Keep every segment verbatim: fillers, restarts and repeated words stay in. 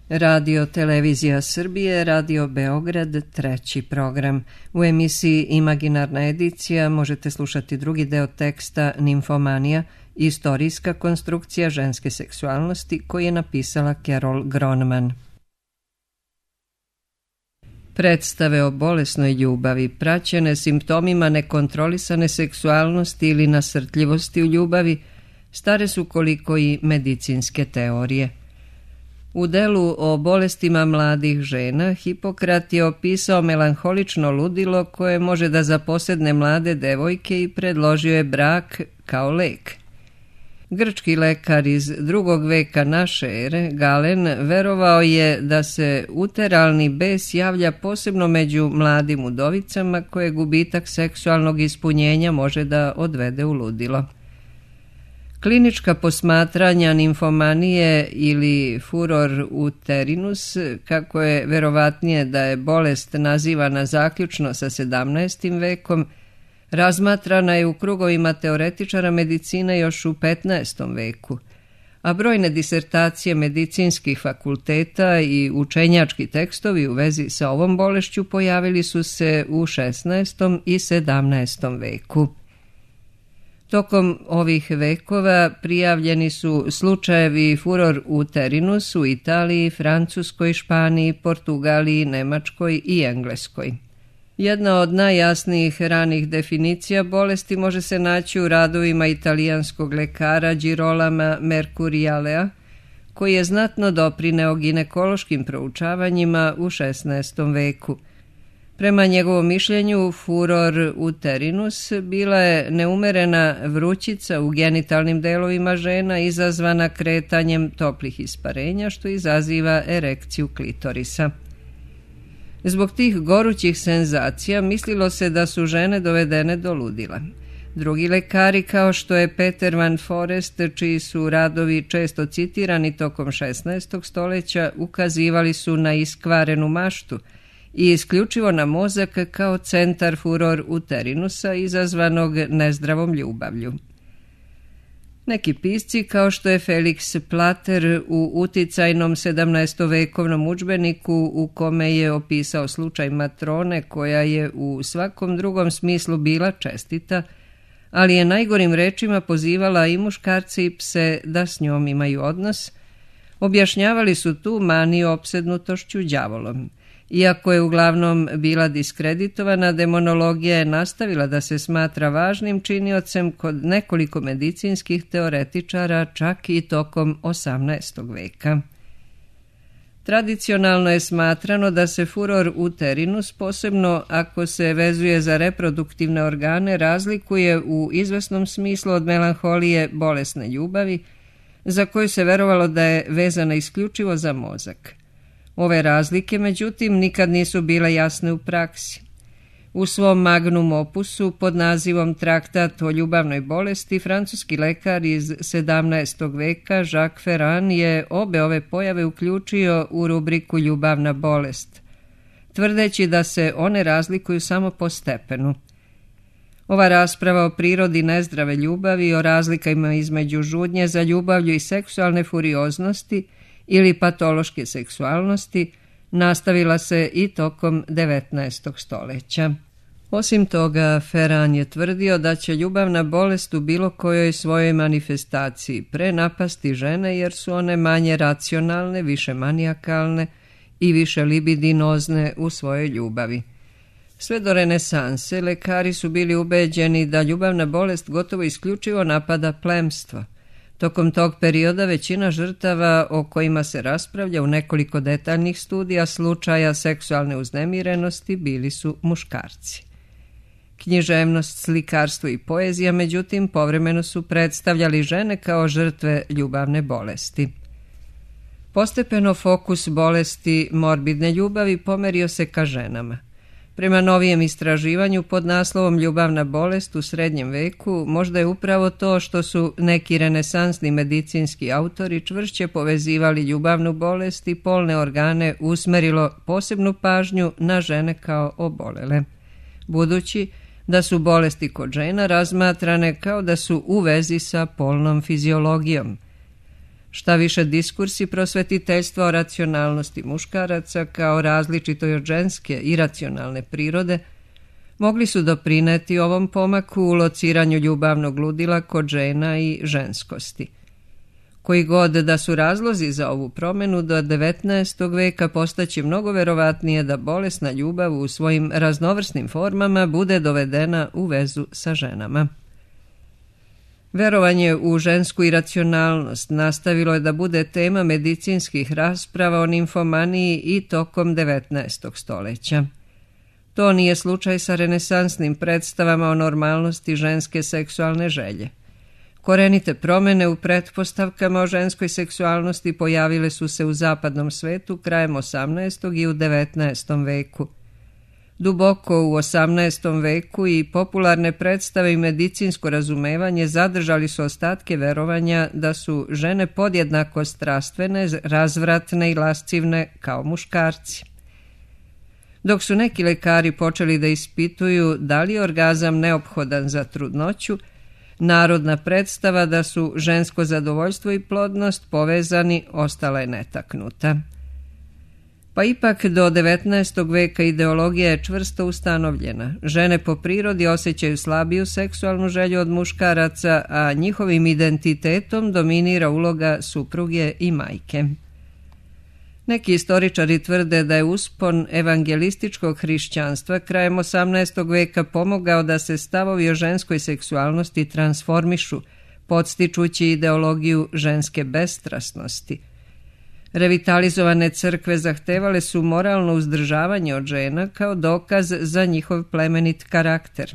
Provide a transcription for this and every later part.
Radio Televizija Srbije, Radio Beograd, treći program. U emisiji Imaginarna edicija možete slušati drugi deo teksta Nimfomanija, istorijska konstrukcija ženske seksualnosti, koji je napisala Carol Gronman. Predstave o bolesnoj ljubavi, praćene simptomima nekontrolisane seksualnosti ili nasrtljivosti u ljubavi, stare su koliko i medicinske teorije. U delu o bolestima mladih žena, Hipokrat je opisao melanholično ludilo koje može da zaposedne mlade devojke i predložio je brak kao lek. Grčki lekar iz drugog veka naše ere, Galen, verovao je da se uteralni bes javlja posebno među mladim udovicama koje gubitak seksualnog ispunjenja može da odvede u ludilo. Klinička posmatranja nimfomanije ili furor uterinus, kako je verovatnije da je bolest nazivana zaključno sa sedamnaestim vekom, razmatrana je u krugovima teoretičara medicine još u petnaestom veku, a brojne disertacije medicinskih fakulteta i učenjački tekstovi u vezi sa ovom bolešću pojavili su se u šesnaestom i sedamnaestom veku. Tokom ovih vekova prijavljeni su slučajevi furor uterinus u Italiji, Francuskoj, Španiji, Portugaliji, Nemačkoj i Engleskoj. Jedna od najjasnijih ranih definicija bolesti može se naći u radovima italijanskog lekara Girolama Mercurialea, koji je znatno doprineo ginekološkim proučavanjima u šesnaestom veku. Prema njegovom mišljenju, furor uterinus bila je neumerena vrućica u genitalnim delovima žena izazvana kretanjem toplih isparenja, što izaziva erekciju klitorisa. Zbog tih gorućih senzacija mislilo se da su žene dovedene do ludila. Drugi lekari, kao što je Peter van Forest, čiji su radovi često citirani tokom šesnaestog stoljeća, ukazivali su na iskvarenu maštu i isključivo na mozak kao centar furor uterinusa izazvanog nezdravom ljubavlju. Neki pisci, kao što je Felix Plater u uticajnom sedamnaestovekovnom udžbeniku u kome je opisao slučaj matrone koja je u svakom drugom smislu bila čestita, ali je najgorim rečima pozivala i muškarce i pse da s njom imaju odnos, objašnjavali su tu maniju opsednutošću đavolom. Iako je uglavnom bila diskreditovana, demonologija je nastavila da se smatra važnim činiocem kod nekoliko medicinskih teoretičara čak i tokom osamnaestog veka. Tradicionalno je smatrano da se furor uterinus, posebno ako se vezuje za reproduktivne organe, razlikuje u izvesnom smislu od melanholije bolesne ljubavi, za koju se verovalo da je vezana isključivo za mozak. Ove razlike, međutim, nikad nisu bile jasne u praksi. U svom magnum opusu pod nazivom Traktat o ljubavnoj bolesti, francuski lekar iz sedamnaestog veka Jacques Ferrand je obe ove pojave uključio u rubriku ljubavna bolest, tvrdeći da se one razlikuju samo po stepenu. Ova rasprava o prirodi nezdrave ljubavi i o razlikama između žudnje za ljubavlju i seksualne furioznosti ili patološke seksualnosti nastavila se i tokom devetnaestog stoljeća. Osim toga, Ferrand je tvrdio da će ljubavna bolest u bilo kojoj svojoj manifestaciji prenapasti žene jer su one manje racionalne, više manijakalne i više libidinozne u svojoj ljubavi. Sve do renesanse lekari su bili ubeđeni da ljubavna bolest gotovo isključivo napada plemstvo. Tokom tog perioda većina žrtava o kojima se raspravlja u nekoliko detaljnih studija slučaja seksualne uznemirenosti bili su muškarci. Književnost, slikarstvo i poezija, međutim, povremeno su predstavljali žene kao žrtve ljubavne bolesti. Postepeno fokus bolesti morbidne ljubavi pomerio se ka ženama. Prema novijem istraživanju pod naslovom Ljubavna bolest u srednjem veku, možda je upravo to što su neki renesansni medicinski autori čvršće povezivali ljubavnu bolest i polne organe usmerilo posebnu pažnju na žene kao obolele, budući da su bolesti kod žena razmatrane kao da su u vezi sa polnom fiziologijom. Šta više, diskursi prosvetiteljstva o racionalnosti muškaraca kao različitoj od ženske iracionalne prirode mogli su doprineti ovom pomaku u lociranju ljubavnog ludila kod žena i ženskosti. Koji god da su razlozi za ovu promjenu, do devetnaestog veka postaće mnogo verovatnije da bolesna ljubav u svojim raznovrsnim formama bude dovedena u vezu sa ženama. Verovanje u žensku iracionalnost nastavilo je da bude tema medicinskih rasprava o nimfomaniji i tokom devetnaestog stoljeća. To nije slučaj sa renesansnim predstavama o normalnosti ženske seksualne želje. Korenite promjene u pretpostavkama o ženskoj seksualnosti pojavile su se u zapadnom svetu krajem osamnaestog i u devetnaestom veku. Duboko u osamnaestom veku i popularne predstave i medicinsko razumevanje zadržali su ostatke verovanja da su žene podjednako strastvene, razvratne i lascivne kao muškarci. Dok su neki lekari počeli da ispituju da li je orgazam neophodan za trudnoću, narodna predstava da su žensko zadovoljstvo i plodnost povezani ostala je netaknuta. Pa ipak do devetnaestog veka ideologija je čvrsto ustanovljena. Žene po prirodi osjećaju slabiju seksualnu želju od muškaraca, a njihovim identitetom dominira uloga supruge i majke. Neki istoričari tvrde da je uspon evangelističkog hrišćanstva krajem osamnaestog veka pomogao da se stavovi o ženskoj seksualnosti transformišu, podstičući ideologiju ženske bestrasnosti. Revitalizovane crkve zahtevale su moralno uzdržavanje od žena kao dokaz za njihov plemenit karakter.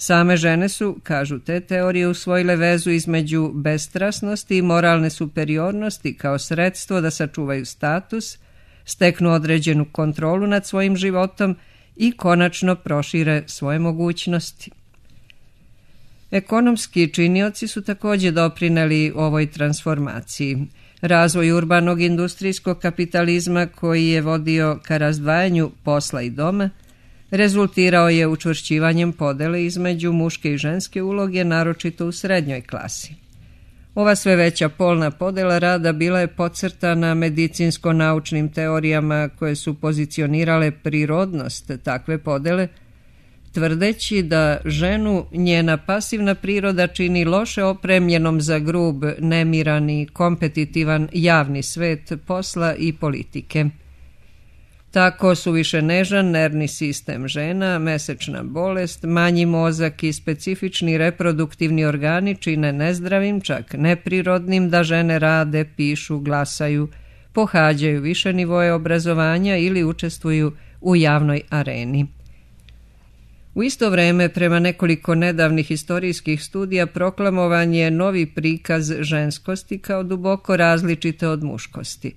Same žene su, kažu te teorije, usvojile vezu između bestrasnosti i moralne superiornosti kao sredstvo da sačuvaju status, steknu određenu kontrolu nad svojim životom i konačno prošire svoje mogućnosti. Ekonomski činioci su također doprineli ovoj transformaciji. Razvoj urbanog industrijskog kapitalizma koji je vodio ka razdvajanju posla i doma rezultirao je učvršćivanjem podele između muške i ženske uloge, naročito u srednjoj klasi. Ova sve veća polna podela rada bila je podcrtana medicinsko-naučnim teorijama koje su pozicionirale prirodnost takve podele, tvrdeći da ženu njena pasivna priroda čini loše opremljenom za grub, nemiran i kompetitivan javni svet posla i politike. Tako su više nežan nervni sistem žena, mesečna bolest, manji mozak i specifični reproduktivni organi čine nezdravim, čak neprirodnim da žene rade, pišu, glasaju, pohađaju više nivoje obrazovanja ili učestvuju u javnoj areni. U isto vreme, prema nekoliko nedavnih historijskih studija, proklamovan je novi prikaz ženskosti kao duboko različite od muškosti.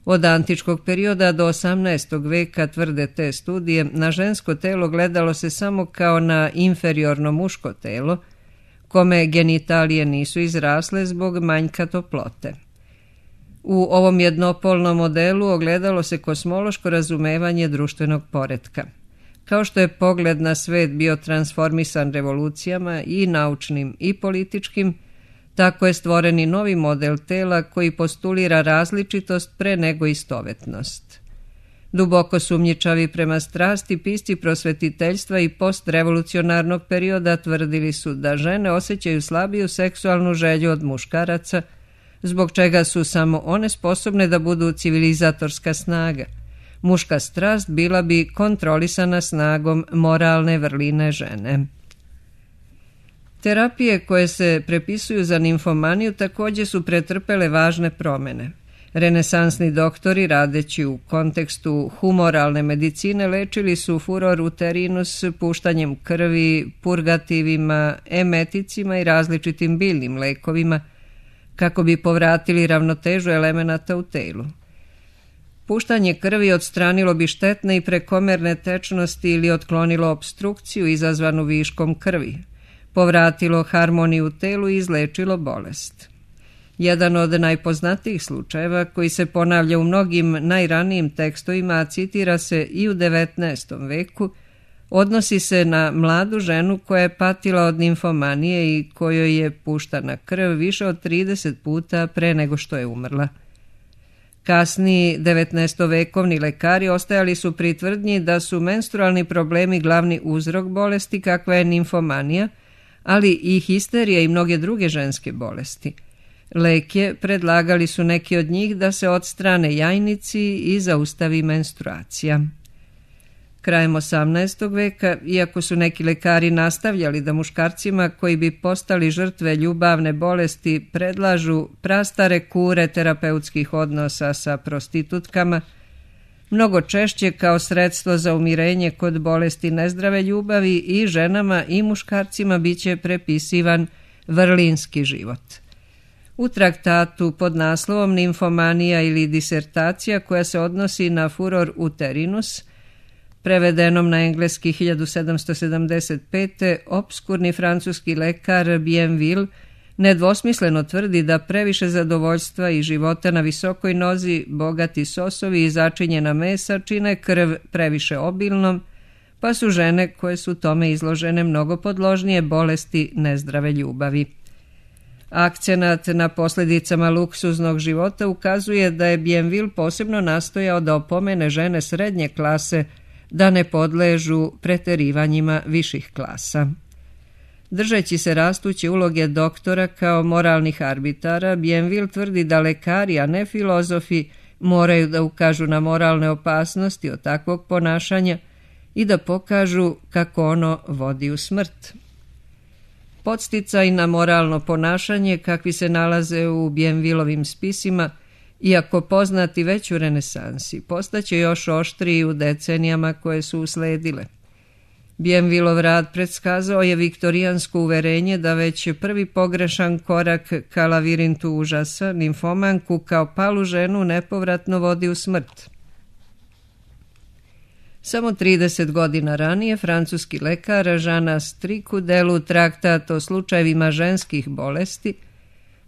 Od antičkog perioda do osamnaestog veka, tvrde te studije, na žensko telo gledalo se samo kao na inferiorno muško telo, kome genitalije nisu izrasle zbog manjka toplote. U ovom jednopolnom modelu ogledalo se kosmološko razumevanje društvenog poretka. Kao što je pogled na svet bio transformisan revolucijama i naučnim i političkim, tako je stvoren i novi model tela koji postulira različitost pre nego istovetnost. Duboko sumnjičavi prema strasti pisci prosvetiteljstva i postrevolucionarnog perioda tvrdili su da žene osjećaju slabiju seksualnu želju od muškaraca, zbog čega su samo one sposobne da budu civilizatorska snaga. Muška strast bila bi kontrolisana snagom moralne vrline žene. Terapije koje se prepisuju za nimfomaniju također su pretrpele važne promjene. Renesansni doktori, radeći u kontekstu humoralne medicine, lečili su furor uterinus puštanjem krvi, purgativima, emeticima i različitim biljnim lekovima, kako bi povratili ravnotežu elemenata u telu. Puštanje krvi odstranilo bi štetne i prekomerne tečnosti ili otklonilo opstrukciju izazvanu viškom krvi, povratilo harmoniju u telu i izlečilo bolest. Jedan od najpoznatijih slučajeva koji se ponavlja u mnogim najranijim tekstovima, a citira se i u devetnaestom veku, Odnosi se na mladu ženu koja je patila od nimfomanije i kojoj je puštana krv više od trideset puta pre nego što je umrla. Kasniji devetnaestovekovni lekari ostajali su pri tvrdnji da su menstrualni problemi glavni uzrok bolesti kakva je nimfomanija, ali i histerija i mnoge druge ženske bolesti. Lek je, predlagali su neki od njih, da se odstrane jajnici i zaustavi menstruacija. Krajem osamnaestog veka, iako su neki lekari nastavljali da muškarcima koji bi postali žrtve ljubavne bolesti predlažu prastare kure terapeutskih odnosa sa prostitutkama, mnogo češće kao sredstvo za umirenje kod bolesti nezdrave ljubavi i ženama i muškarcima biće prepisivan vrlinski život. U traktatu pod naslovom Nimfomanija ili disertacija koja se odnosi na furor uterinus, prevedenom na engleski hiljadu sedamsto sedamdeset pete. obskurni francuski lekar Bienville nedvosmisleno tvrdi da previše zadovoljstva i života na visokoj nozi, bogati sosovi i začinjena mesa čine krv previše obilnom, pa su žene koje su tome izložene mnogo podložnije bolesti nezdrave ljubavi. Akcenat na posljedicama luksuznog života ukazuje da je Bienville posebno nastojao da opomene žene srednje klase da ne podležu preterivanjima viših klasa. Držeći se rastuće uloge doktora kao moralnih arbitara, Bienville tvrdi da lekari, a ne filozofi, moraju da ukažu na moralne opasnosti od takvog ponašanja i da pokažu kako ono vodi u smrt. Podsticaj na moralno ponašanje, kakvi se nalaze u Bienvillovim spisima, iako poznati već u renesansi, postaće još oštriji u decenijama koje su usledile. Bienvillov rad predskazao je viktorijansko uverenje da već prvi pogrešan korak ka lavirintu užasa, nimfomanku kao palu ženu nepovratno vodi u smrt. Samo trideset godina ranije francuski lekar Jean Astric u delu Traktat o slučajevima ženskih bolesti,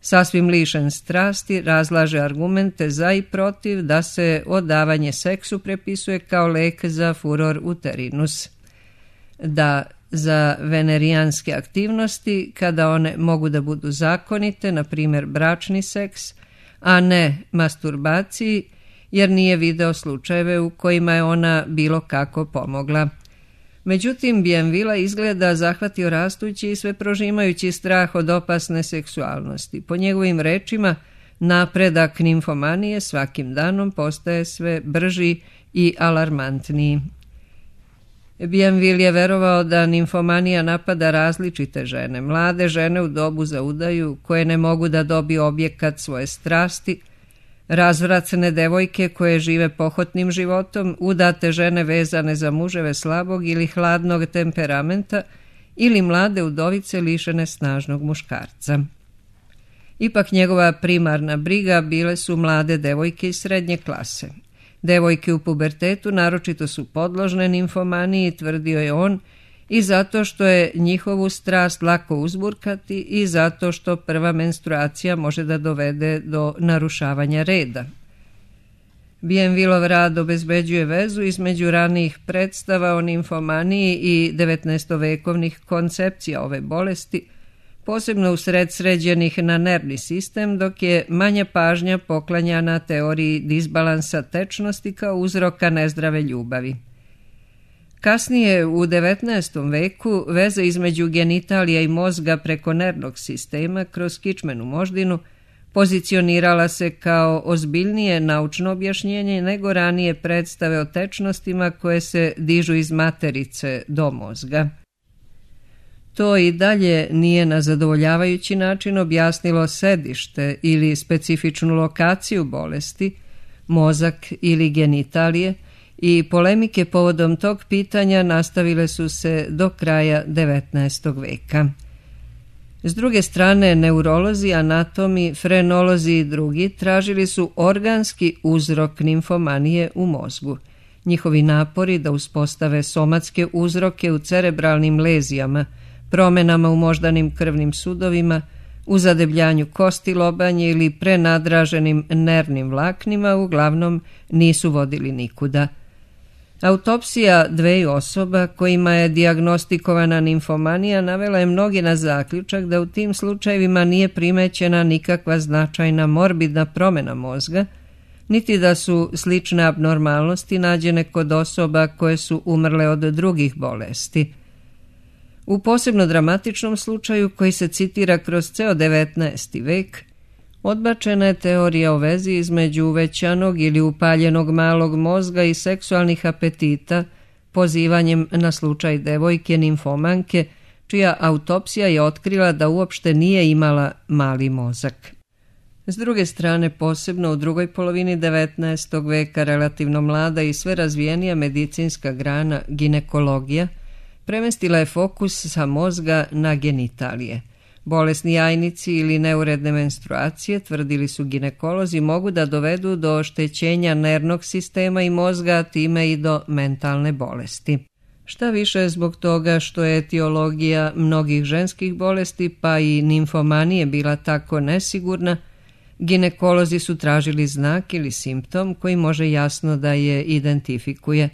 sasvim lišen strasti, razlaže argumente za i protiv da se odavanje seksu prepisuje kao lek za furor uterinus, da za venerijanske aktivnosti, kada one mogu da budu zakonite, na primjer bračni seks, a ne masturbaciji, jer nije video slučajeve u kojima je ona bilo kako pomogla. Međutim, Bienvilla izgleda zahvatio rastući i sve prožimajući strah od opasne seksualnosti. Po njegovim rečima, napredak nimfomanije svakim danom postaje sve brži i alarmantniji. Bienville je verovao da nimfomanija napada različite žene, mlade žene u dobu za udaju koje ne mogu da dobiju objekat svoje strasti, razvratne devojke koje žive pohotnim životom, udate žene vezane za muževe slabog ili hladnog temperamenta ili mlade udovice lišene snažnog muškarca. Ipak njegova primarna briga bile su mlade devojke iz srednje klase. Devojke u pubertetu naročito su podložne nimfomaniji, tvrdio je on, i zato što je njihovu strast lako uzburkati i zato što prva menstruacija može da dovede do narušavanja reda. Bienvillov rad obezbeđuje vezu između ranijih predstava o nimfomaniji i devetnaestovekovnih koncepcija ove bolesti, posebno usred sređenih na nervni sistem, dok je manja pažnja poklanjana teoriji disbalansa tečnosti kao uzroka nezdrave ljubavi. Kasnije, u devetnaestom veku, veza između genitalija i mozga preko nervnog sistema kroz kičmenu moždinu pozicionirala se kao ozbiljnije naučno objašnjenje nego ranije predstave o tečnostima koje se dižu iz materice do mozga. To i dalje nije na zadovoljavajući način objasnilo sedište ili specifičnu lokaciju bolesti, mozak ili genitalije, i polemike povodom tog pitanja nastavile su se do kraja devetnaestog veka. S druge strane, neurolozi, anatomi, frenolozi i drugi tražili su organski uzrok nimfomanije u mozgu. Njihovi napori da uspostave somatske uzroke u cerebralnim lezijama, promenama u moždanim krvnim sudovima, u zadebljanju kosti lobanje ili prenadraženim nervnim vlaknima uglavnom nisu vodili nikuda. Autopsija dveju osoba kojima je dijagnostikovana nimfomanija navela je mnogi na zaključak da u tim slučajevima nije primećena nikakva značajna morbidna promjena mozga, niti da su slične abnormalnosti nađene kod osoba koje su umrle od drugih bolesti. U posebno dramatičnom slučaju, koji se citira kroz ceo devetnaesti vek, odbačena je teorija o vezi između uvećanog ili upaljenog malog mozga i seksualnih apetita, pozivanjem na slučaj devojke nimfomanke, čija autopsija je otkrila da uopšte nije imala mali mozak. S druge strane, posebno u drugoj polovini devetnaestog veka, relativno mlada i sve razvijenija medicinska grana, ginekologija, premestila je fokus sa mozga na genitalije. Bolesni jajnici ili neuredne menstruacije, tvrdili su ginekolozi, mogu da dovedu do oštećenja nervnog sistema i mozga, a time i do mentalne bolesti. Šta više, zbog toga što je etiologija mnogih ženskih bolesti, pa i nimfomanije, bila tako nesigurna, ginekolozi su tražili znak ili simptom koji može jasno da je identifikuje.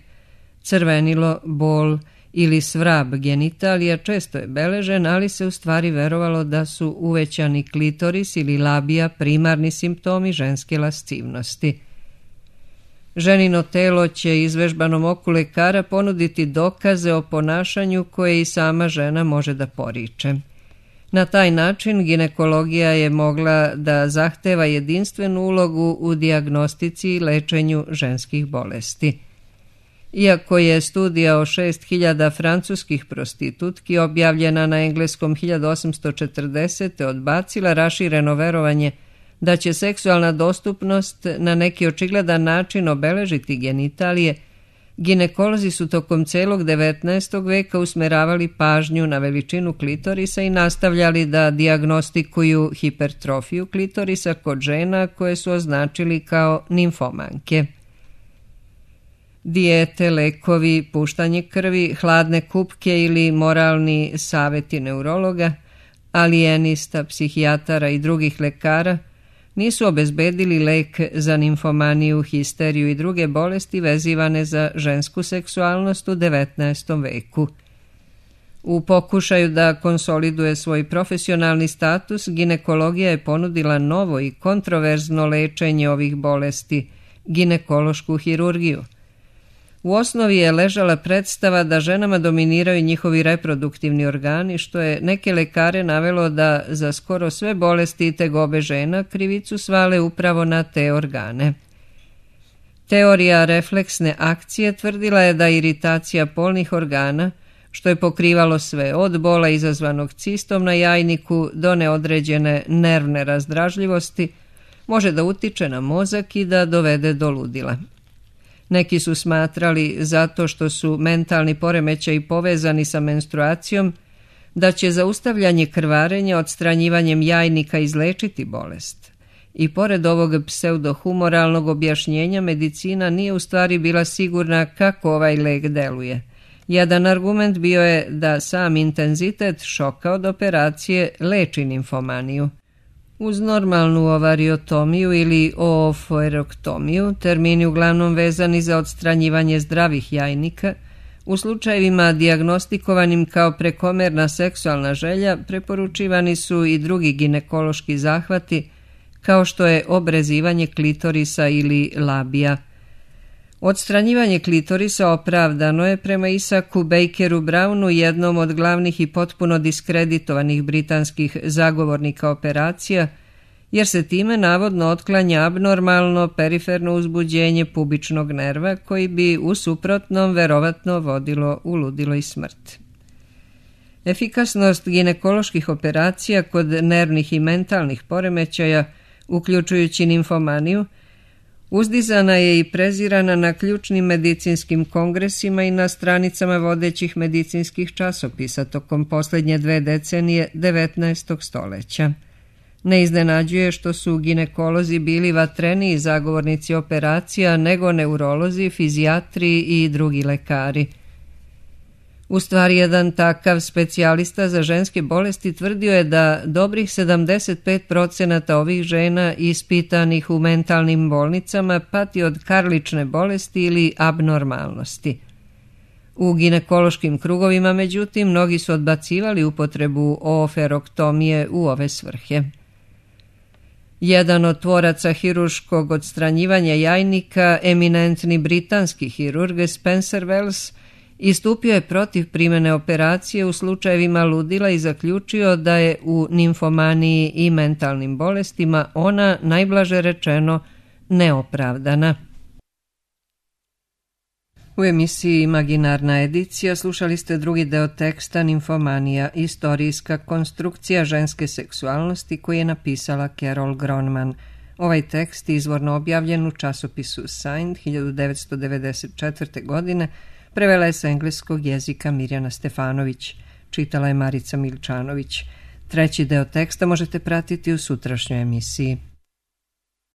Crvenilo, bol ili svrab genitalija često je beležen, ali se u stvari verovalo da su uvećani klitoris ili labija primarni simptomi ženske lascivnosti. Ženino telo će izvežbanom oku lekara ponuditi dokaze o ponašanju koje i sama žena može da poriče. Na taj način ginekologija je mogla da zahteva jedinstvenu ulogu u dijagnostici i lečenju ženskih bolesti. Iako je studija o šest hiljada francuskih prostitutki objavljena na engleskom hiljadu osamsto četrdesete odbacila rašireno verovanje da će seksualna dostupnost na neki očigledan način obeležiti genitalije, ginekolozi su tokom celog devetnaestog veka usmeravali pažnju na veličinu klitorisa i nastavljali da dijagnostikuju hipertrofiju klitorisa kod žena koje su označili kao nimfomanke. Dijete, lekovi, puštanje krvi, hladne kupke ili moralni saveti neurologa, alijenista, psihijatara i drugih lekara nisu obezbedili lek za nimfomaniju, histeriju i druge bolesti vezivane za žensku seksualnost u devetnaestom veku. U pokušaju da konsoliduje svoj profesionalni status, ginekologija je ponudila novo i kontroverzno lečenje ovih bolesti, ginekološku hirurgiju. U osnovi je ležala predstava da ženama dominiraju njihovi reproduktivni organi, što je neke lekare navelo da za skoro sve bolesti i tegobe žena krivicu svale upravo na te organe. Teorija refleksne akcije tvrdila je da iritacija polnih organa, što je pokrivalo sve od bola izazvanog cistom na jajniku do neodređene nervne razdražljivosti, može da utiče na mozak i da dovede do ludila. Neki su smatrali, zato što su mentalni poremećaji povezani sa menstruacijom, da će zaustavljanje krvarenja odstranjivanjem jajnika izlečiti bolest. I pored ovog pseudohumoralnog objašnjenja, medicina nije u stvari bila sigurna kako ovaj lek deluje. Jedan argument bio je da sam intenzitet šoka od operacije leči nimfomaniju. Uz normalnu ovariotomiju ili oofoerektomiju, termini uglavnom vezani za odstranjivanje zdravih jajnika, u slučajevima dijagnostikovanim kao prekomerna seksualna želja preporučivani su i drugi ginekološki zahvati, kao što je obrezivanje klitorisa ili labija. Odstranjivanje klitorisa opravdano je prema Isaku Bakeru Brownu, jednom od glavnih i potpuno diskreditovanih britanskih zagovornika operacija, jer se time navodno otklanja abnormalno periferno uzbuđenje pubičnog nerva koji bi u suprotnom verovatno vodilo u ludilo i smrt. Efikasnost ginekoloških operacija kod nervnih i mentalnih poremećaja, uključujući nimfomaniju, uzdizana je i prezirana na ključnim medicinskim kongresima i na stranicama vodećih medicinskih časopisa tokom posljednje dve decenije devetnaestog stoleća. Ne iznenađuje što su ginekolozi bili vatreniji zagovornici operacija nego neurolozi, fizijatri i drugi lekari. U stvari, jedan takav specijalista za ženske bolesti tvrdio je da dobrih sedamdeset pet procenata ovih žena ispitanih u mentalnim bolnicama pati od karlične bolesti ili abnormalnosti. U ginekološkim krugovima, međutim, mnogi su odbacivali upotrebu ooferoktomije u ove svrhe. Jedan od tvoraca hirurškog odstranjivanja jajnika, eminentni britanski hirurg Spencer Wells, istupio je protiv primjene operacije u slučajevima ludila i zaključio da je u nimfomaniji i mentalnim bolestima ona, najblaže rečeno, neopravdana. U emisiji Imaginarna edicija slušali ste drugi deo teksta Nimfomanija, istorijska konstrukcija ženske seksualnosti koji je napisala Carol Gronman. Ovaj tekst izvorno objavljen u časopisu Science hiljadu devetsto devedeset četvrte. godine, prevela je sa engleskog jezika Mirjana Stefanović, čitala je Marica Milčanović. Treći deo teksta možete pratiti u sutrašnjoj emisiji.